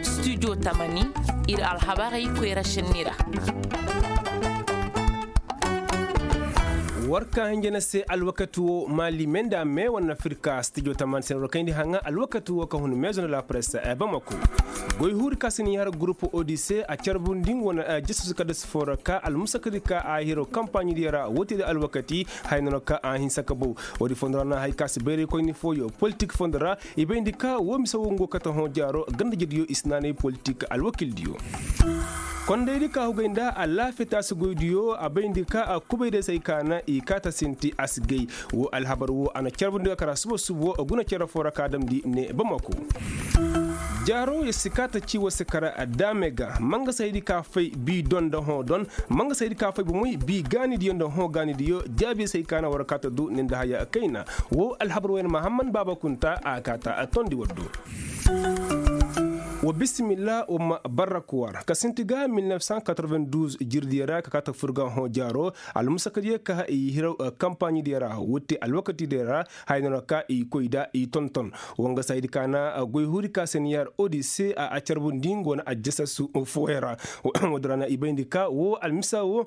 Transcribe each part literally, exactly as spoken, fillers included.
Studio tamani, ir alhabarey koyra šenni ra. War ka hinja na se alwakati wo mali menda me wane afirka studio tamani se na war kayndi haŋa alwakati wo ka hun mezo na la presse bamako. Goy huuri ka si ni har gurupu odise a carbundi wane, jesusu ka dasi fo ra ka almusakadi ka a hiro kampaɲidi ra wote da alwakati. Haya no ka a hinsa ka bow. Woodi fondo ra na hay ka si bayraykoyni fooyo politik fondo ra. I bayndi ka woo mise woo ngo kate hõ jaaro ganda-ijediyo i si naanay politik alwakildiyo. Kondaydi ka hugay nda alaafiyataasi goydiyo a bayndi ka a kubay day se ay ka na i kaata sinti a si gay. Woo alhabar woo a na carbundi ga kara suba-suba woo guna cere foo ra ka damndi ne bamako. Jaaro yer si kaata ci war si kara daame ga mangasaydi ka fay bii don nda hõ don. Mangasaydi ka fay bomoy bii gaanidiyo nda hõ gaanidiyo jaabi se ay ka na war kaata du ne nda haya kayna. Woo alhabar wayna mahamman baaba kunta a kaata a tondi war do. Wa bisimilla wa ma barraku war ka sinti ga mil nef san katorven duuz jirdiyo ra ka kaata fur ga hõ jaaro. Almusakadiyo ka i hiraw kampaɲidiyo ra wutte alwakatidiyo ra. Haya no ra ka i koy da i tonton. Wanga saydi ka na goy huuri ka se ni yar odise a carbundi nga wane ajasasu fooyaŋ ra. Woodi ra na i bayndi ka woo almisa woo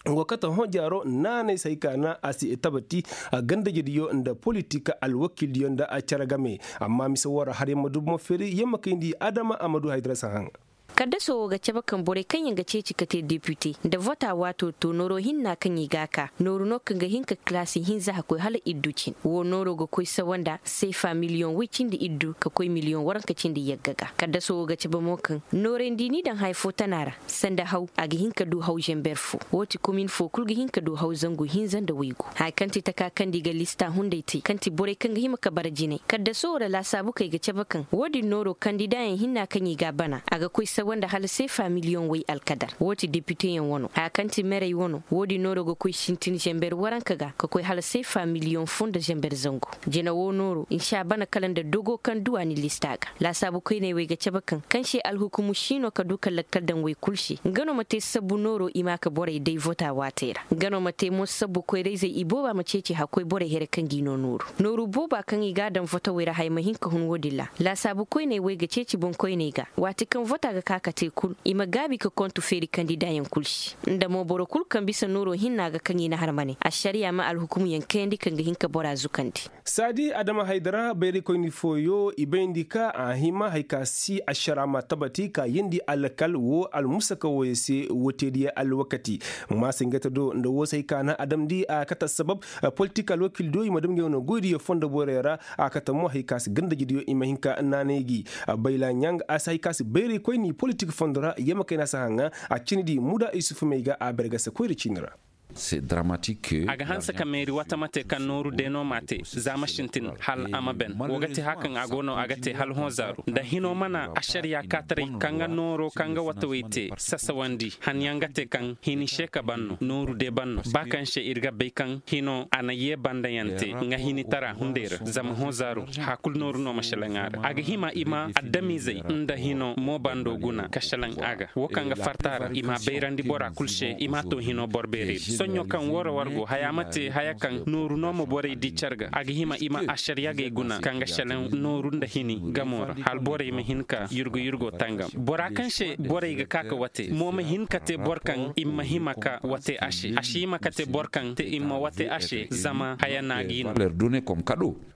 nga kate hõ jaaro naanay se ay ka na a si tabati. Ganda-ijediyo nda politik alwakildiyo nda cere game. Amma mise woo ra har yer ma du bomo feeri yer ma kayndi adama a ma du haydara si haŋ. Kaddaso woo ga cabe kaŋ borey kaŋ yaŋ ga ceeci ka te depite nda vota waato to nooro hinna kaŋ i ga a ka nooru no kaŋ ga hin ka kalaasi hinza ka koy hala iddu cin woo nooro ga koy sawa nda seefa miliyoŋ woy cindi iddu ka koy miliyoŋ waranka cindi yagga ga. Kaddaso woo ga cabe mo kaŋ noorey nda i n'i daŋ haya fo tana ra sanda haw a ga hin ka du haw zamber fo. Woo ti komin fo kul ga hin ka du haw zangu hinza nda waygu haya kaŋ ti taka kaŋ nda i ga lista hunday te kaŋ ti borey kaŋ ga hima ka bara jinay kaddaso woo ra laasaabu kaŋ i ga cabe kaŋ woo din nooro kandidaayaŋ hinna kaŋ i ga a bana a ga koy sawa nda hala seefa miliyoŋ way alkadar woo ti depiteyaŋ wano haya kaŋ ti merey wano woo din nooro ga koy sintin zamber waranka ga ka koy hala seefa miliyoŋ fo nda zamber zangu. Jina woo nooro nsi a bana kala nda dogo kaŋ du a ni lista ga. Laasaabu koyney wey ga cabe kaŋ kaŋ se alhukumu si no ka du ka lakkal daŋ wey kul se nga no ma te sabbu nooro i ma ka borey day vota waatey ra nga no ma te mo sabbu koyra-izey ibooba ma ceeci hakkoy borey here kaŋ g'i no nooru nooru booba kaŋ i g'a daŋ votawey ra haya ma hin ka hun woodin ra. Laasaabu koyney wey ga ceeci boŋkoyney ga waati kaŋ vota ga ka ka te kul i ma gaabi ka kontu feeri kandidaayaŋ kul se nda mo boro kul kaŋ bisa nooro hinna ga kaŋ i na har ma ne ašariya ma alhukumuyaŋ kayandi kaŋ ga hin ka bora zukandi. Saadi adama haydara bayraykoyni fooyo i bayndi ka a hima hari ka si ašara ma tabati ka yeendi alkal woo almusaka wooyo se woo teediya alwakati. Maasingata do nda woo se hari ka na a damndi a kate assabab politik alwakil do i ma dam ngey wane goydiyo fondo borey ra. A kate mo hari ka si ganda-ijediyo i ma hin ka naanay gi. Bayla ɲaŋ a si hari ka si bayraykoyni politik fondo ra yee ma kayna si haŋa. A cindi muda isuf may ga a bergase koyra ciini ra. A ga hanse ka meeri wata ma te kaŋ nooru de no m'a te za ma sintin hal a ma ben woo ga te haya kaŋ a go no a ga te hala hõ zaaru nda hinoo mana ašariya kaataray kaŋ ga nooro kaŋ ga watawey te sasawandi han yaŋ ga te kaŋ hini se ka ban no nooru de ban no ba kaŋ se ir ga bay kaŋ hinoo a na yee bandayaŋ te nga hinitara hunday ra zama hõ zaaru haya kul nooru no ma šelaŋ a ra a ga hima i ma adamizey nda hinoo mo bando guna ka šelaŋ a ga woo kaŋ ga farta a ra i m'a bayrandi bora kul se i m'a to hinoo boro beerey ra soɲõ kaŋ woo ra war go haya ma te haya kaŋ nooru no ma borey di car ga a ga hima i ma ašariyagey guna kaŋ ga šelaŋ nooru nda hini gamo ra hala borey ma hin ka yurgu yurgo tangam bora kaŋ se borey ga ka ka wate mo ma hin ka te boro kaŋ i ma hima ka wate a se a si hima ka te boro kaŋ te i ma wate a se zama haya na g'i no.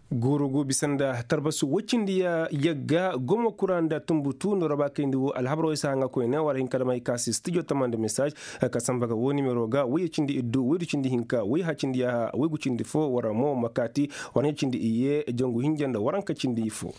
Guuru go bisa nda tarbasu woy cindi ya yagga gomo kura nda tumbutu nda roba kayndi wo alhabaroo isa haŋa koyne war hinka damay ka si studio tamanda message ka samba ga wo nimero ga woyye cindi iddu woydu cindi hinka woy ha cindi yaha woygu cindi fo war mo makaati war hinka cindi iyye jangu hinja nda waranka cindi ifo.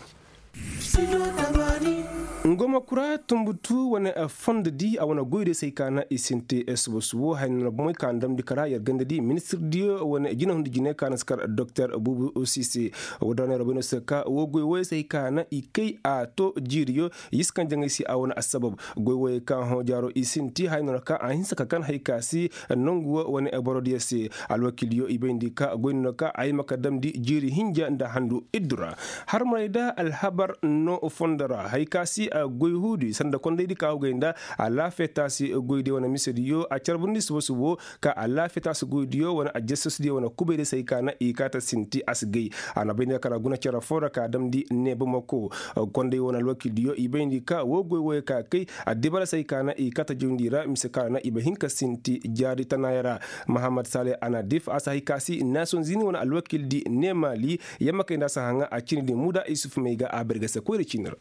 Ngoma kura tumbutu wane fondo di a wane goyde say ka na i sinte subo subo hay na bomey ka na damndi kara yar ganda di ministir diyo wane jina hundi jine ka na si kar doktor bubu sise. Wo da wane robo no se ka wo goy woy say ka na i kay a to jiiriyo. Yiskan jangay si a wane assabab goy woy ka hõ jaaro i sinti hay na ka a hinsa ka kan hay ka si nangu wane boro diyo se. Alwakil yo i bayndi ka goy no ka ay maka damndi jiiri hinja nda handu iddura. Har maray da alhabar no fondo ra hay ka si. goy huudi sanda kondaydi ka hugay nda alaafiya taasi goydiyo wane misediyo a carbundi subo subo ka alaafiya taasi goydiyo wane ajasasudiyo wane kubaydi se hay ka na i kaata sinti a si gay. A na bayndi ka kala guna cere foo ra ka damndi neebamako konday wane alwakildiyo i bayndi ka woo goy wooyo ka kay addibara se hay ka na i kaata jawndi ra mise ka ra na i ba hin ka sinti jaari tanaaya ra. Mahamad sale anadif a si hay ka si naasonzini wane alwakildi ne maali yamma kay nda a si haŋa a cindi muda isuf may ga a barga se koyra ciini ra.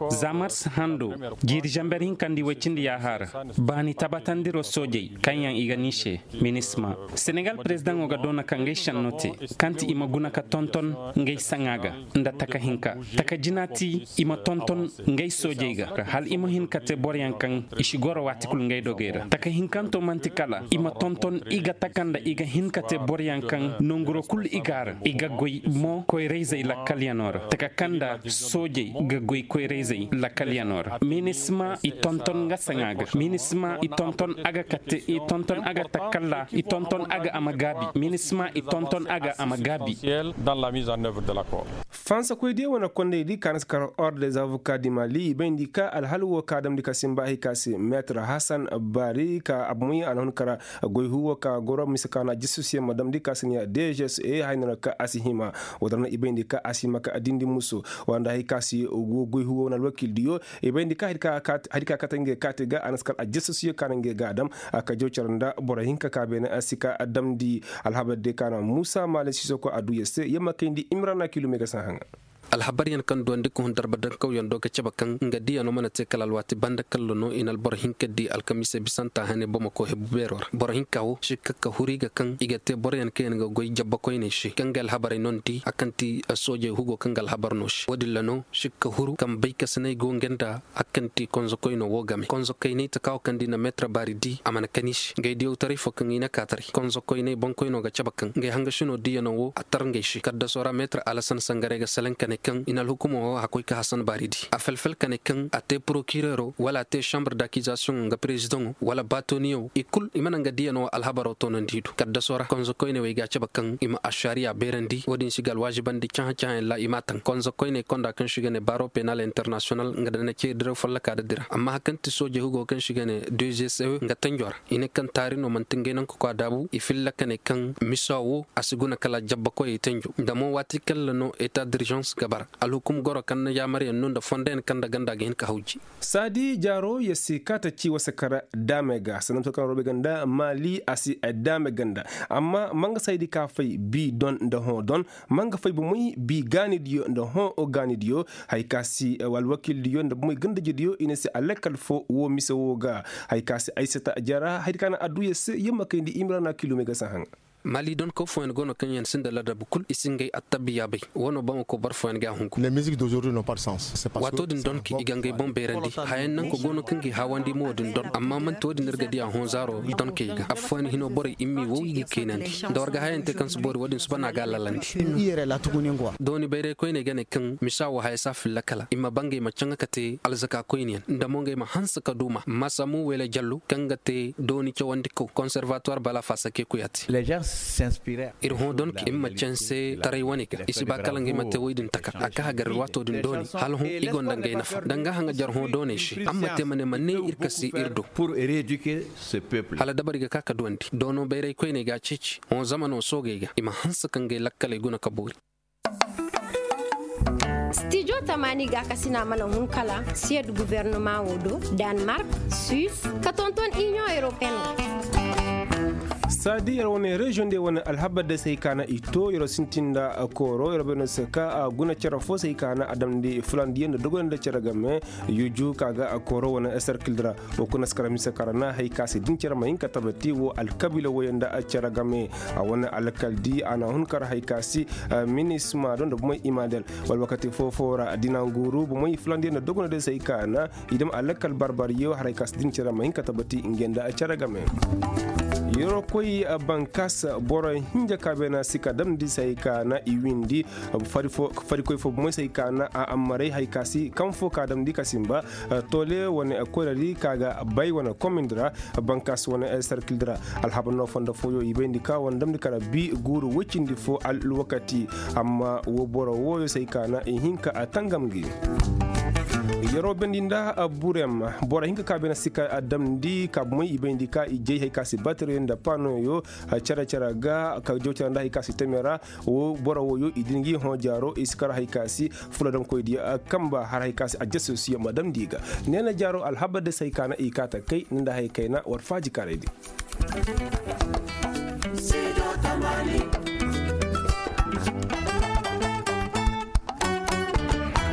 Za mars hando jiiri zamber hinkandi woy cindi yaaha ra baani tabatandiro soojey kaŋ yaŋ i ga ni se minisma senegal perezidaŋo ga doona ka ngey senno te kaŋ ti i ma guna ka tonton ngey saŋa ga nda taka hinka taka jina ti i ma tonton ngey soojey ga hala i ma hin ka te boroyaŋ kaŋ i si goro waati kulu ngey dogey ra taka hinkanto man'ti kala i ma tonton i ga taka nda i ga hin ka te boroyaŋ kaŋ nonguro kulu i ga a ra i ga goy mo koyrayzey lakkalyanoo ra taka kaŋ nda soojey ga goy koyrayzey lakkalyanoo ra minisma i tonton nga saŋa ga minisma i tonton a ga kate i tonton a ga takalla i tonton a ga a ma gaabi minisma i tonton a ga a ma gaabi. Fansakoy diyo wane kondaydi ka na si kar ordre des avocats du mali i bayndi ka alhal wo ka damndi ka simba hay ka se meetar hasan baari ka abumay a na hun kara goy huwo ka goro mise ka na jistus yaŋ ma damndi ka si ne dgsa hay no ra ka a si hima. Wo-din ra no i bayndi ka a si hima ka dindi muso wanda hay ka si go goy huwo wane alwakil diyo i bayndi ka hari ka kate ngey kaati ga a na si kar a jistus yaŋ ka na ngey ga a dam ka jaw care nda boro hinka ka beene a si ka damndi. Alhabar day ka na muusa maale siisoko a duu yer se yer ma kayndi imrana kiilum ay ga si a haŋa. Alhabaryaŋ kaŋ duwandi ka hun darba dankawyaŋ do ga cabe kaŋ nga diyaŋo mana te kala alwaati banda kalla no i na alboro hinka di alkamiisey bisanta hane bamako hebu beero ra boro hinka wo sikka ka huru i ga kaŋ i ga te boroyaŋ kaŋ yaŋ ga goy jabba koyney se kaŋ ga alhabarey no ni di a kaŋ ti soojey hugo kaŋ ga alhabar no se wo-din ra no sikka huru kaŋ bay kasiney go nga nda a kaŋ ti konzokoyno wo game konzokoyney taka wo kaŋ da i na meetar baari di a mana kan i se ngey diyawtaray fo kaŋ i na ka taray konzokoyney boŋkoyno ga cabe kaŋ ngey hangasino diyaŋo wo a tar ngey se kaddasoo ra meetar alasan sangaray ga salaŋ ka ne kaŋ i na alhukumo wo a koy ka hasan baari di a felfel ka ne kaŋ a te porokireero wala a te šambur dakizasiyoŋo nga perezidaŋo wala baatoniyaŋo i kul i mana nga diyaŋo wo alhabaro toonandi i do kaddasoo ra konzokoyney wey ga a cabe kaŋ i ma ašariya beerandi wo-din si ga alwaazibandi cahã-cahãyaŋ ra i m'a taŋ konzokoyney konda kaŋ se i ga ne baaro penal internasiyonal nga da na ceeri diraw follokaa da dira amma hari kaŋ ti soojey hugo kaŋ se i ga ne deuxième nga tanjo ra i ne kaŋ taari no man'ti ngey naŋ ka koy a daabu i filla ka ne kaŋ misa wo a si guna kala jabbakoyey tanjo nda mo waati kaŋ ra no eta diržans ga bara alhukum goro kaŋ na yaamaryaŋ no nda fondoyaŋ kaŋ nda ganda ga hin ka hawji. Saadi jaaro yer si kaata ci wasa kara daamey ga sanda misa kaŋ roobey ganda maali a si daamey ganda amma ma nga saydi ka fay bi don nda hõ don ma nga fay bomey bi gaanidiyo nda hõ gaanidiyo. Hay ka si alwakildiyo nda bomey gandajediyo i ne se alakal fo wo mise wo ga. Hay ka si ay sata jara hay ka na adduya se yer ma kayndi imrana kilomey ga si a haŋ. Maali donkaw fooyaŋ go no kaŋ yaŋ sinda ladabu kul i si ngey attabiya bay. Wo no bamako boro fooyaŋ ga a hungu. Waato din donki i ga ngey boŋ beerandi hayaŋ nanka go no kaŋ ga i haawandi mo wo-din don amma man'ti wo-din ir ga di a hõ zaaro donkey ga affooyaŋ hino borey immi wow i ga keenandi. Nda war ga hayaŋ te kaŋ si boori wo-din suba no a ga a lalandi. Dooni bayray koyney ga ne kaŋ misa wo haya si a filla kala i ma ba ngey ma caŋa ka te alzaka koyneyaŋ nda mo ngey ma hanse ka duuma masamu wele jallo kaŋ ga te dooni cawandikaw konservatuwar bala faasa keekuya te. Ir hõ donk ir ma canse taray wane ga i si ba kala ngey ma te woy din taka a ka hagar ir waato din dooni hala hõ i gonda ngey nafa danga haŋa jar hõ dooney se amma te ma ne ma ne ir kasi ir do. Hala dabari ga ka ka duwandi doono bayray koyney ga a ceeci hõ zamano soogey ga i ma hanse ka ngey lakkaley guna ka boori. Stijo tamaani gaakasina mana hun kala siyed guvernoma wo do, danmark, suis, ka tonton inion europeen. Saadi yer wane reziyoŋ de wane alhabar de se hay ka na i to yer sintin nda kooro yer bay no se ka a guna cere fo se hay ka na a damndi fulandiyaŋ nda dogoney nda cere game. Yuju ka ga a kooro wane serkil ra. Wo kuna si kara mise kara na hay ka se din cere ma hin ka tabati wo alkabiila woyey nda cere game. A wane alkaldi a na hun kara hay ka se minisma do nda bomey imadel wala wakati foo foo ra dina guuru bomey fulandiyaŋ nda dogoney de se hay ka na i dam alakal barbaryo haray ka si din cere ma hin ka tabati ngey nda cere game. Yeroo koy bankas boro hinja ka beena si ka damndi se hay ka na i windi. Farikoy fo bomey se hay ka na a ammaray hay ka si kaŋ fo ka damndi ka simba. Toole wane koyradi ka ga bay wane komindi ra. Bankas wane sarkildi ra alhabar no fondo fooyo i bayndi ka wane damndi kara bi guuru woy cindi fo alwakati. Amma wo boro wooyo se hay ka na i hin ka a tangam gi. Yeroo bayndi nda burem boro hinka ka bay na si ka a damndi ka bomey i bayndi ka i jay hari ka si bateriyo nda panoyo care care ga ka jaw care nda hari ka si teme ra. Wo boro woyo i din ga i hõ jaaro i si kar hari ka si fuladamkoy diya kamba har hari ka si ajasosiyo ma damndi ga. Neena jaaro alhabar day se hari ka na i kaa takay ni nda hari kayna war faaji karay di.